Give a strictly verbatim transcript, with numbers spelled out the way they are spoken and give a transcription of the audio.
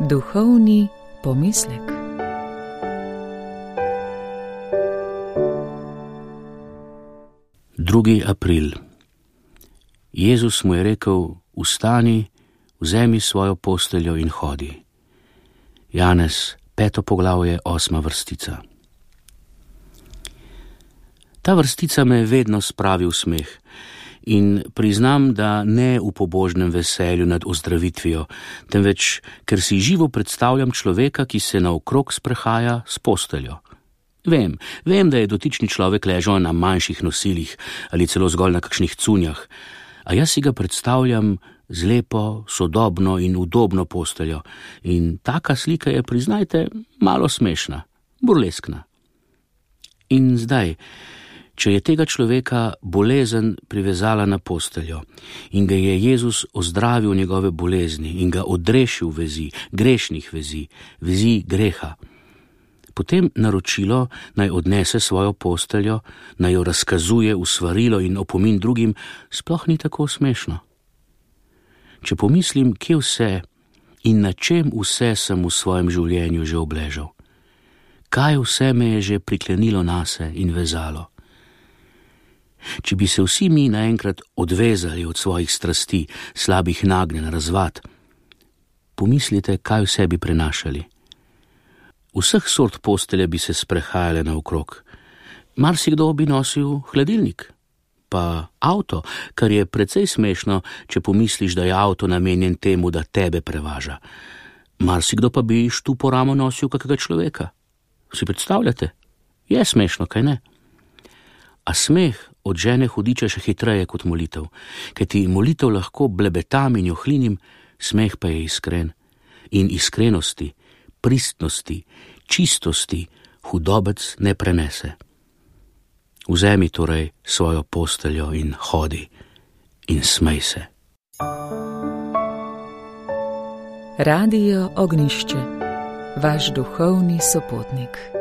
Duhovni pomislek. drugi april. Jezus mu je rekel: vstani, vzemi svojo posteljo in hodi. Janez, peto poglavje, osma vrstica. Ta vrstica me vedno spravi v smeh in priznam, da ne v pobožnem veselju nad ozdravitvijo, temveč ker si živo predstavljam človeka, ki se naokrog sprehaja s posteljo. Vem, vem, da je dotični človek ležal na manjših nosilih ali celo zgolj na kakšnih cunjah, a jaz si ga predstavljam z lepo, sodobno in udobno posteljo in taka slika je, priznajte, malo smešna, burleskna. In zdaj, če je tega človeka bolezen privezala na posteljo in ga je Jezus ozdravil njegove bolezni in ga odrešil vezi, grešnih vezi, vezi greha, potem naročilo naj odnese svojo posteljo, naj jo razkazuje v svarilo in opomin drugim, sploh ni tako smešno. Če pomislim, kje vse in na čem vse sem v svojem življenju že obležal, kaj vse me je že priklenilo nase in vezalo. Če bi se vsi mi naenkrat odvezali od svojih strasti, slabih nagnjenj, razvad, pomislite, kaj vse bi prenašali. Vseh sort postelje bi se sprehajale naokrog. Marsikdo bi nosil hladilnik, pa avto, kar je precej smešno, če pomisliš, da je avto namenjen temu, da tebe prevaža. Marsikdo pa bi štupo ramo nosil kakega človeka. Si predstavljate? Je smešno, kaj ne? A smeh odžene hudiča še hitreje kot molitev, kajti molitev lahko blebetam in johlinim, smeh pa je iskren. In iskrenosti, pristnosti, čistosti hudobec ne prenese. Vzemi torej svojo posteljo in hodi in smej se. Radio Ognjišče, vaš duhovni sopotnik.